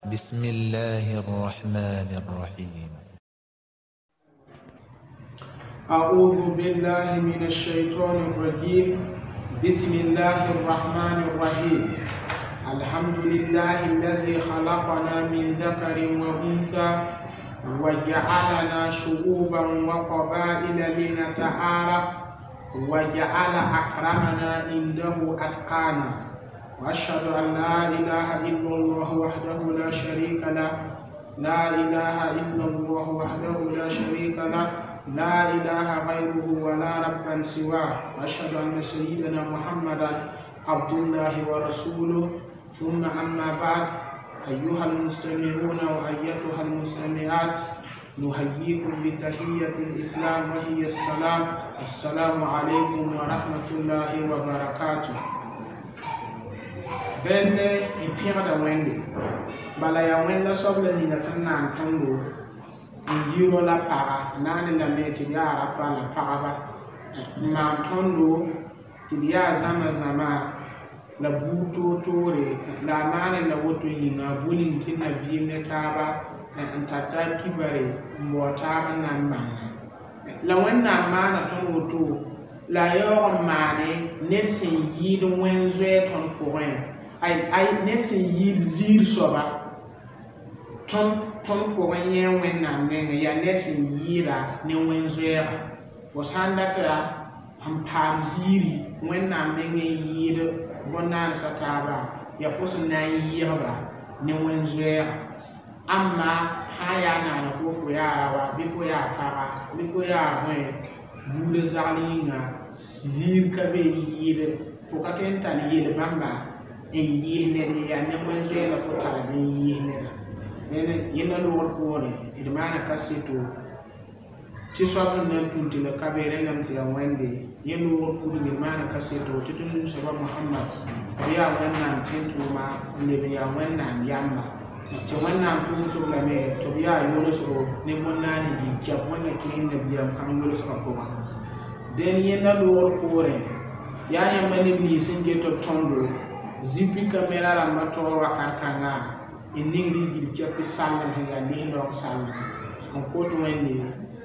بسم الله الرحمن الرحيم. أعوذ بالله من الشيطان الرجيم. بسم الله الرحمن الرحيم. الحمد لله الذي خلقنا من ذكر وأنثى وجعلنا شعوبا وقبائل لنتعارف وجعل أكرمنا عنده أتقانا، وأشهد أن لا إله إلا الله وحده لا شريك له، لا إله إلا الله وحده لا شريك له، لا إله غيره ولا ربا سواه، وأشهد أن سيدنا محمدا عبد الله ورسوله. ثم أما بعد، أيها المستمعون وأيتها المستمعات، نحييكم بتحية الإسلام وهي السلام. السلام عليكم ورحمة الله وبركاته. Bẽnde n pẽgda Wẽnde bala yaa Wẽnda soab la nina sẽn na n tõndo n yi ro la paga naane lame tɩ d yaa rapa la pagba n maan tõndo tɩ d yaa zãma zãma la buud toor-toore la a maane la woto yĩnga bũ ning tɩ d na vɩɩm ne taaba n tar taab kibare n bao taab n na n bãnga la Wẽnnaam maana tõnd woto la a yaoog n maane ned sẽn yɩɩd wẽn zoɛɛ tõnd pʋgẽ, ay ned sẽn yɩɩd ziir soaba tõnd pʋgẽ yẽ Wẽnnaam nengẽ yaa ned sẽn yɩɩda ne wẽn zoɛɛga. Fo sã n data n paam ziiri Wẽnnaam nengẽ n yɩɩd bõn-naandsã taaba yaa fo sẽn na n yɩɩgba ne wẽn zoɛɛga. Amma sã n yaa naana fo yaa raoa bɩ fo yaa paga bɩ fo yaa bõe buudã zagl yĩnga ziir ka be n yɩɩd fo ka tõe n tall yel bãmba n yɩɩs ned ye yaa ne wẽn zoɛɛ la fo tara n yɩɩs neda. Yẽnda loogr poorẽ d maana kaseto tɩ soab n na n tũn tɩ la ka be rẽndame tɩ yaa Wẽnde yẽ loogr pʋgẽ d maana kaseto tɩ tõnd num soaba Mohamad b yaa Wẽnnaam tẽn-tʋʋma n leb n yaa Wẽnnaam yamba tɩ Wẽnnaam tʋʋmsg lame tɩ b yaa yolsgo ne bõn-naan n yik Wẽnna kẽes nabiyaam kãng yolsgã pʋgã. Dẽn yẽnda loogr poorẽ yaa yãmba neb nins sẽn get b tõndo zipi kamera rãmbã taoor wakat kãnga n ningd y gil kɛp sallem sẽn yaa lislaoong sallem n kot Wẽnde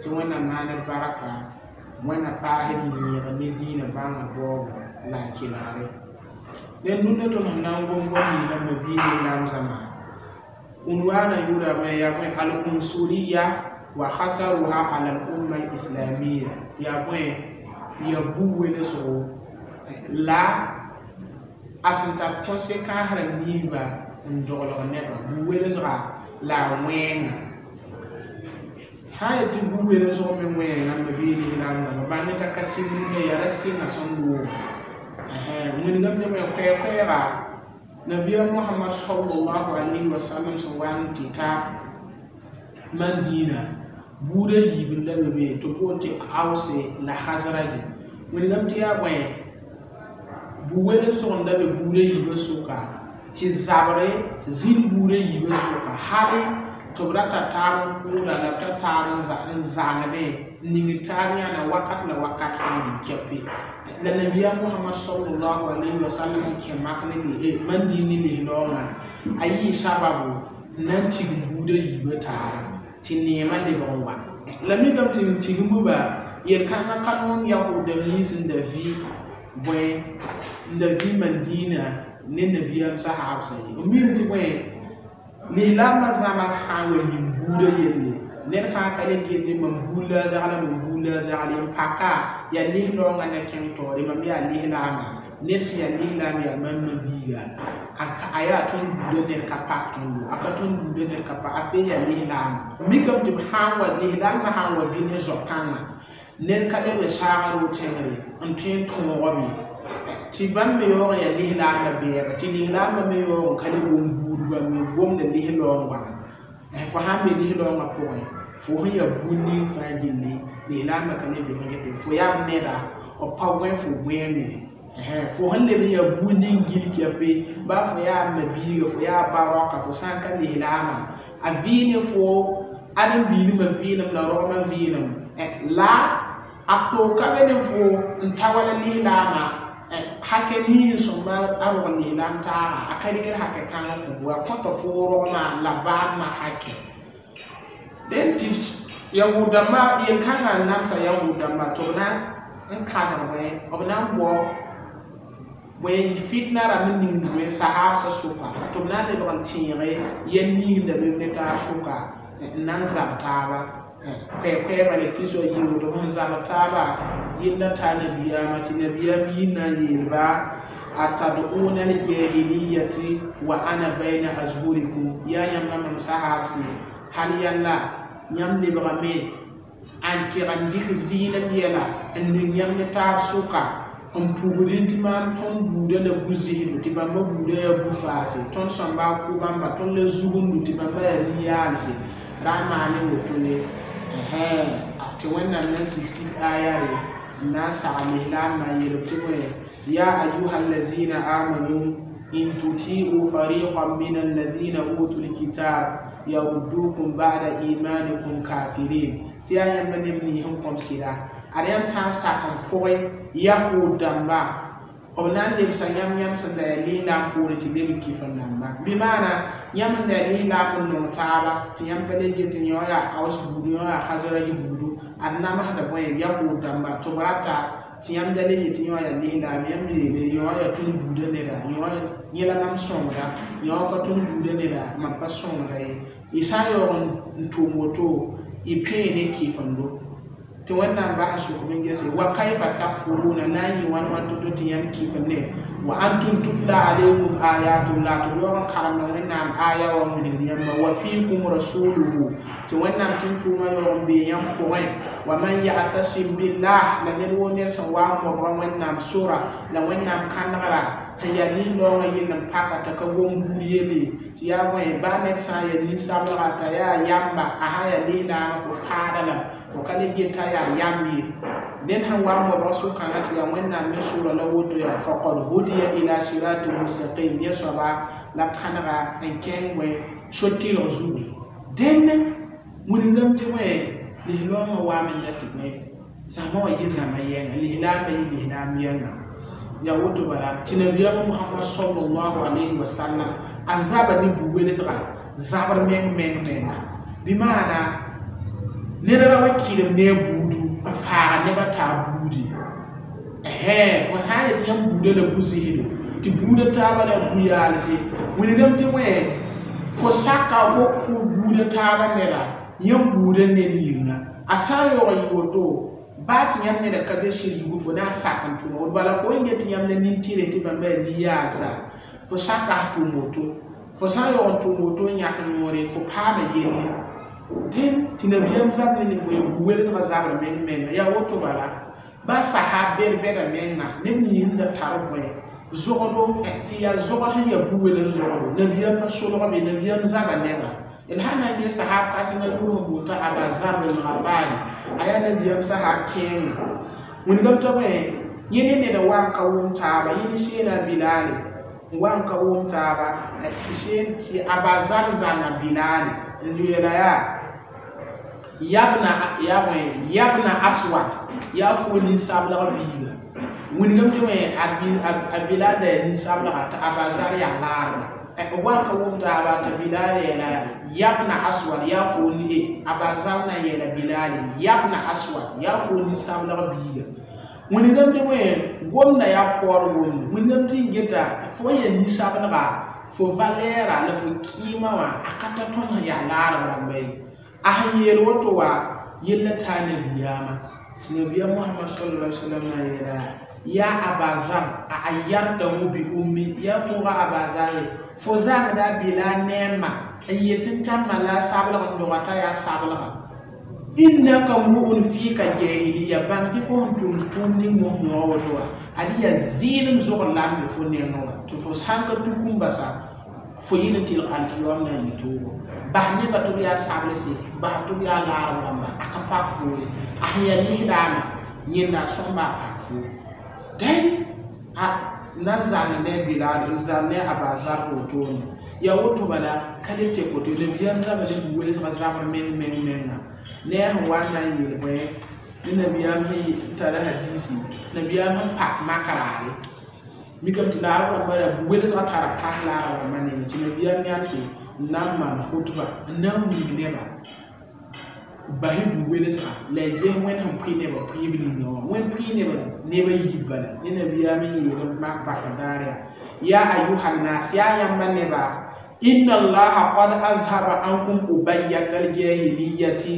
tɩ Wẽnnaam maan d barka Wẽnna paas d yẽeg ne dĩinã bãngr baoobo la a kelgre. Dẽn dũnna tõnd sẽn na n gom goam ninsã mabiig lislaam zãma unwana yʋʋra bõe yaa bõe al-unsuriya wa khataruha ala al-umma al-islamiyya yaa bõe yaa bu-welesgo la a sẽn tar conséquence rãmb ninsba n doglg nebã bu-welsga la a wẽenga. Sã n yetɩ bu-welsg me wẽenga n mabiig lislaam dãmba bãmb t'a ka sɩng rũndã yaa ra sɩnga sẽn loog wilgame me koɛɛ-koɛɛga nabiya Muhammad sallallahu alaihi wasallam sẽn wa n tɩ ta Mandina buudã yiib n la be be tɩ boond tɩ Ause la Hazraji wilgame tɩ yaa bõe bu-welsg n da be buudã yiibã sʋka tɩ zabre zĩnd buudã yiibã sʋka hali tɩ b ra tar taab n kʋʋda la b tar taab n zãngdẽ n ning taab yãna wakat la wakat fãa n kɛpe la nabiya Muhammad sallallahu alaihi wasallam n kẽ mak ne Mandin ne lislaoongã a yɩɩ sababu n na n tigim buudã yiibã taaba tɩ neemã lebg n wa la mikame tɩ n tigimba yel-kãngã ka noom yahoodame nins n da vɩ bõe n da vɩ Mandina ne nabiyaam sahaabsã ye n mim tɩ bõe lislaambã zãma sã n wa yĩm buudã yelle ned fãa ka le get mam buud la a zagla mam buud la a zagl n paka yaa lislaoongã na kẽng taoore mam yaa lislaama ned sẽn yaa lislaam yaa mam mabiiga a yaa tõnd buudã ned ka pak tõndo a ka tõnd buudã ned ka pak a fe yaa lislaama mikame tɩ b sã n wa lislaambã sã n wa vɩ ne zao-kãngã ned ka leb saagr ro-tẽngre n tõe n tõogame tɩ bãmb me yaoog n yaa lislaambã bɛɛba tɩ lislaambã me yaoog n ka le wʋm buudbã me gomda lislaoong wãna fo sãn be lislaoongã pʋgẽ fo sẽn yaa bũn ning fãa gilli lislaambã ka le bɩg n get fo yaa b neda b pa gõe fo gõeeme fo sẽn leb n yaa bũn ning gil kɛpe baa fo yaa mabiiga fo yaa ba-raoka fo sã n ka lislaamã a vɩɩ ne fo ãdem-biilmã vɩɩlem la rogmã vɩɩlem la a toog ka be ne fo n ta wala lislaamã Hakɛ nin sõmba a rog lislaam taaga a ka rɩkd hakɛ kãngã kõ wa kõta fo rogmã la baamã hakɛ dẽn tɩ yahud dãmbã yel-kãngã n namsa yahud dãmba tɩ b na n kãsg bõe b na n bao bõe fitna rãmb n ning bõe sahaabsã sʋka tɩ b na n lebg n tẽege yɛl ning la be ne taab sʋka n na n zab taaba koɛɛ-koɛɛba la kis wa yɩ woto sẽn zabd taaba yella taa nabiyaamã tɩ nabiyaam yi na n yeelba atad'una aljahiliyati wa ana bayna azhurikum yaa yãmba mam sahaabse hal yalla yãmb lebgame n tɩg n dɩk zɩɩlem yɛla n ning yãmb ne taab sʋka n pugdẽ tɩ maam tõnd buudã la bu-zɩsdo tɩ bãmba buudã yaa bu-faase tõnd sõmba a kʋ bãmba tõnd la zugumdu tɩ bãmba yaa nin-yaalse ra n maane woto ye tɩ wẽnnaam na n sig sig aya re n na n sag lislaambã n yeel tɩ bõe ya ayuha allazina amanu in tuti'u fariqan min alladhina utu lkitab yaruddukum ba'da imanikum kafirin tɩ yaa yãmba neb nins n kõm sɩda ad yãmb sã n sak n pʋgẽ yahud dãmba b na n lebsa yãmb yãmb sẽn da yaa lislaam poorẽ tɩ leb n kɩf n namba bɩ maana yãmb n da yaa lislaam n nong taaba tɩ yãmb pa le get yõ yaa aus buudu yõ yaa khazraj buudu ad namsda bõe yahud dãmba tɩ b rata tɩ yãmb da le yetɩ yõ yaa lislaam yãmb yeele yõ yaa tõnd buudã neda yõ yẽ la mam sõngda yõ ka tõnd buudã neda mam pa sõngda ye y sã n yaoog n tʋʋm woto y pẽe ne kɩfendo tɩ wẽnnaam bas n sʋk n gese wa kayfa takfuruna na n yɩ wãn wãn to-to tɩ yãmb kɩf ne wa antum tutla alaykum ayatullah tɩ b yaoog n karemda wẽnnaam aya wa wilgd yãmba wa fiikum rasuluhu tɩ wẽnnaam tẽn-tʋʋmã yaoog n bee yãmb pʋgẽ wa man ya'tasim billah la ned woo ned sẽn wa n mobga wẽnnaam sora la wẽnnaam kãnegra sẽn yaa nin-raoongã yell n paka t'a ka gom buud yelle tɩ yaa bõe baa ned sã n yaa nin-sablga t'a yaa yamba a sã yaa lislaamã fo faada la fo ka le get t'a yaa yamb ye ned sẽn wa n mobg sʋkãngã tɩ yaa wẽnnaam me sʋʋra la woto yaa faqad hudiya ila sirati mustaqim yẽ soaba la kãnega n kẽng bõe so-tɩlg zugu dẽnd wilgdame tɩ bõe lislaoongã waame la tɩ bõe zãma wã yɩ zãma yɛnga lislaambã yɩ lislaam yɛnga ya woto bala tɩ nabiyaam Muhammad sallallahu alayhi wa sallam a zaba ne bu-welsga zabr meng meng menga bɩ maana ned ra wa kɩrem ne a buudu n faaga nebã taa buudi fo sã n yet yãmb buudã la bu-zɩsdo tɩ buudã taabã la bu-yaalse wilgame tɩ wẽ fo saka fo kʋ buudã taabã neda yãmb buudã ned yĩnga a sã n yaoog n yɩ woto baa tɩ yãmb neda ka be sɩ zugu fo na n sak n tʋm woto bala fo n get tɩ yãmb la nin-tɩrẽ tɩ bãmba yaa nin-yaalsa fo saka s tʋʋm woto fo sã n yaoog n tʋʋm woto n yãk noore fo paama yelle dẽn tɩ nabiyaam zab ne bu-welsgã zabr meng menga yaa woto bala baa sahab bɛd-bɛda menga neb nins n da tar bõe zogdo tɩ yaa zogd sẽn yaa bu-wels zogdo nabiyaam pa solgbe nabiyaam zaba nengã d sã na n yẽ sahab kãsengã yʋʋr sẽn boota Aba Zarr al-Ghafari a yaa nabiyaam sahab kẽenga wĩndame tɩ bõe yẽ ne ned n wa n ka wʋm taaba yẽ ne seena Bilaale n wa n ka wʋm taaba tɩ seen tɩ Aba Zarr zãnga Bilaale n yeela yaa yabna yaa bõe yabna Aswad yaa fo nin-sablg biiga wĩndame tɩ bõe a Bilaal da yaa nin-sablga tɩ Aba Zarr yaa laarda b wa n ka wʋm taaba tɩ Bilaal yeela yabna Aswad yaa fo ni Aba Zarr na n yeela Bilaale yabna Aswad yaa fo nin-sablg biiga wĩndame tɩ bõe gomda yaa paoor gomde wĩndame tɩ n geta fo n yaa nin-sablga fo valɛɛra la fo kɩɩmã wã a ka ta tõnd sẽn yaa laarb rãmba ye a sẽn yeel woto wa yella taa nabiyaamã tɩ nabiyaam Mohamad sallallahu alaihi wasallam na n yeela yaa Aba Zarr a ayartahu bi ummi yaa fooga Aba Zarr ye fo zãngda Bilaal ne a ma n yet n tãmma la a sablg n doga t'a yaa sablga innaka mru'un fika jahiliya bãng tɩ fo sẽn tʋmd tʋʋm ning mos noog woto wa ad yaa zɩɩlem zogr la n be fo nengẽ wã tɩ fo sãn ka tuk n basa fo yɩl n tɩlg alkiyom na n yɩ toogo bas nebã tɩ b yaa sablse bas tɩ b yaa laarb rãmba a ka pak foo ye a sẽn yaa lislaamã yẽnda a sõmba a pak foo dẽn a na n zãng ne a Bilaal n zãng ne a Aba Zarr wotone yaa woto bala ka le tek woto nabiyaam zaba ne bu-welsgã zabr meng meng menga ne a sẽn wa n na n yeel bõe ne nabiyaam sẽn tara hadisi nabiyaam sẽn pak mak raare Mikame tɩ laarb rãmbã ra bu-welsgã tara pãng laarb rãmbã nengẽ tɩ nabiyaam yãmse n na n maan khutba n na n wilg nebã bas-y bu-welsga la y ges Wẽnd sẽn pʋɩ nebã pʋɩɩb ninga wã Wẽnd pʋɩ nebã neb a yiib bala ne nabiyaam n yeel n mak bakr daar yaa ya ayuha nnas yaa yãmba neba inna allaha qad azhaba ankum ubayyata aljahiliyati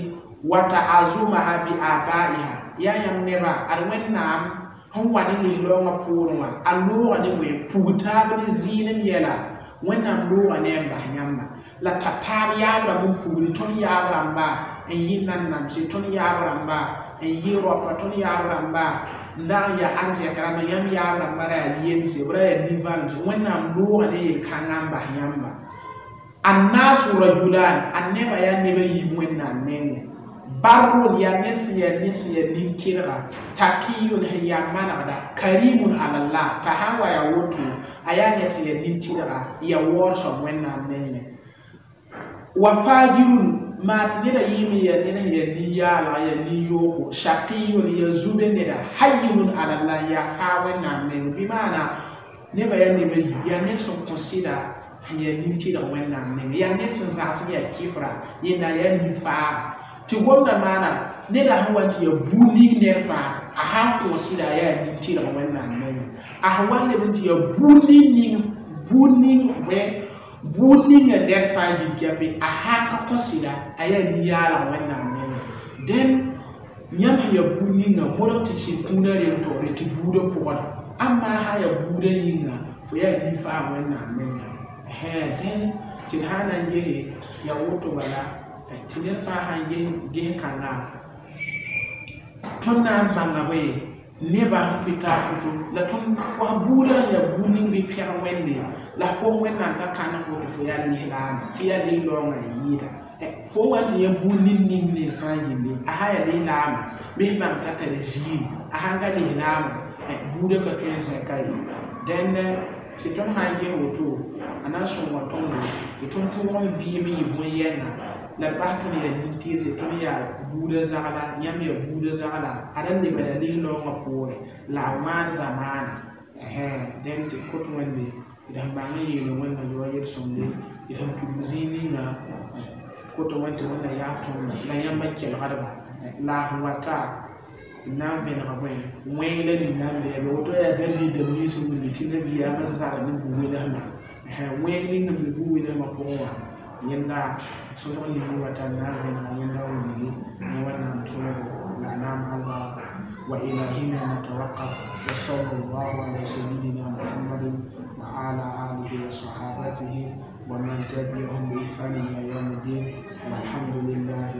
wa ta'azumaha bi abaiha yaa yãmb neba ad Wẽnnaam sẽn wa ne lislaoongã poorẽ wã a looga ne bõe pug taab ne zɩɩnem yɛla Wẽnnaam looga ne n bas yãmba la t'a taab yaab rãmb n pugri tõnd yaab rãmba n yɩ nanamse tõnd yaab rãmba n yɩ raopa tõnd yaab rãmba n dag n yaa arzɛk rãmba yãmb yaab rãmba ra yaa yemse b ra yaa nin-vãlemse Wẽnnaam looga ne yel-kãngã n bas yãmba annasu rajulan a nebã yaa neb a yiib Wẽnnaam nengẽ barrun yaa ned sẽn yaa ned sẽn yaa nin-tɩrga taqiyun sẽn yaa manegda karimun alallah t'a sã n wa yaa woto a yaa ned sẽn yaa nin-tɩrga n yaa waoor soab Wẽnnaam nengẽ wa fajirun maa tɩ neda yɩɩm n yaa ned sẽn yaa nin-yaalga yaa nin-yoogo shaqiyun yaa zube neda hayyinun alallah n yaa faa Wẽnnaam nengẽ bɩ maana nebã yaa neb a yiib yaa ned sẽn kõ sɩda sẽn yaa nin-tɩrg Wẽnnaam nengẽ yaa ned sẽn zãgs n yaa kɩfra yẽnda yaa nin-faaga tɩ gomda maana neda sẽn wa n tɩ yaa buud ning ned fãa a sãn kõ sɩda a yaa nin-tɩrg Wẽnnaam nengẽ a sẽn wa n leb n tɩ yaa buud ning buud ning bõe buud ninga ned fãa yik-yape a sãn ka kõ sɩda a yaa nin-yaalg Wẽnnaam nengẽ dẽn yãmb sẽn yaa buud ninga modg tɩ sɩd kũunã rem taoore tɩ buudã pʋgda ãmba sã yaa buudã yĩnga fo yaa nin-faam Wẽnnaam nengẽ dẽn tɩ d sã n na n gese yaa woto bala tɩ ned fãa sãn ges kãnga tõnd na n bãnga bõe nebã sẽn pʋɩ taab pʋtʋ la tõnd fo buudã sẽn yaa buud ning bɩ pɛg Wẽnde la f kos Wẽnnaam t'a kãn fo tɩ fo yaa lislaama tɩ yaa lislaoongã n yɩɩda fo wa n tɩ yã buud ning ning ned fãa yelle a sã yaa lislaama bɩ f bãng t'a tar ziiri a sãn ka lislaama buudã ka tõe n zẽka ye dẽnd tɩ tõnd sã n ges woto a na n sõnga tõndo tɩ tõnd pʋʋg n vɩɩm n yɩ bõe-yɛnga la d bas tõnd yaa nin-tɩrse tõnd yaa buudã zagla yãmb yaa buudã zagla a ra lebda lislaoongã poorẽ la a wãan zamaana dẽn tɩ kot Wẽnde d sẽn bãng n yeele Wẽnna yaoa yel-sõmde d sẽn tudg zĩig ninga koto Wẽnd tɩ Wẽnna yaaf tõndã la yãmba kelgdba la a sẽn wata n na n vẽneg bõe wẽng la nin-na n bɩ woto yaa David dãmb nins n wilgi tɩ nabiyaamã zara ne bu-welsmã wẽng ning n be bu-welsmã pʋgẽ wã yẽnda sõsg ning wata n na n vẽnega yẽnda wilgi ne Wẽnnaam tõogo la a naam albarka wa ila hina natawaqaf wa sallallahu ala sayyidina Muhammadin wa ala alihi wa sahabatihi wa man tabi'ahum bi ihsanin ila yawm الدين والحمد لله.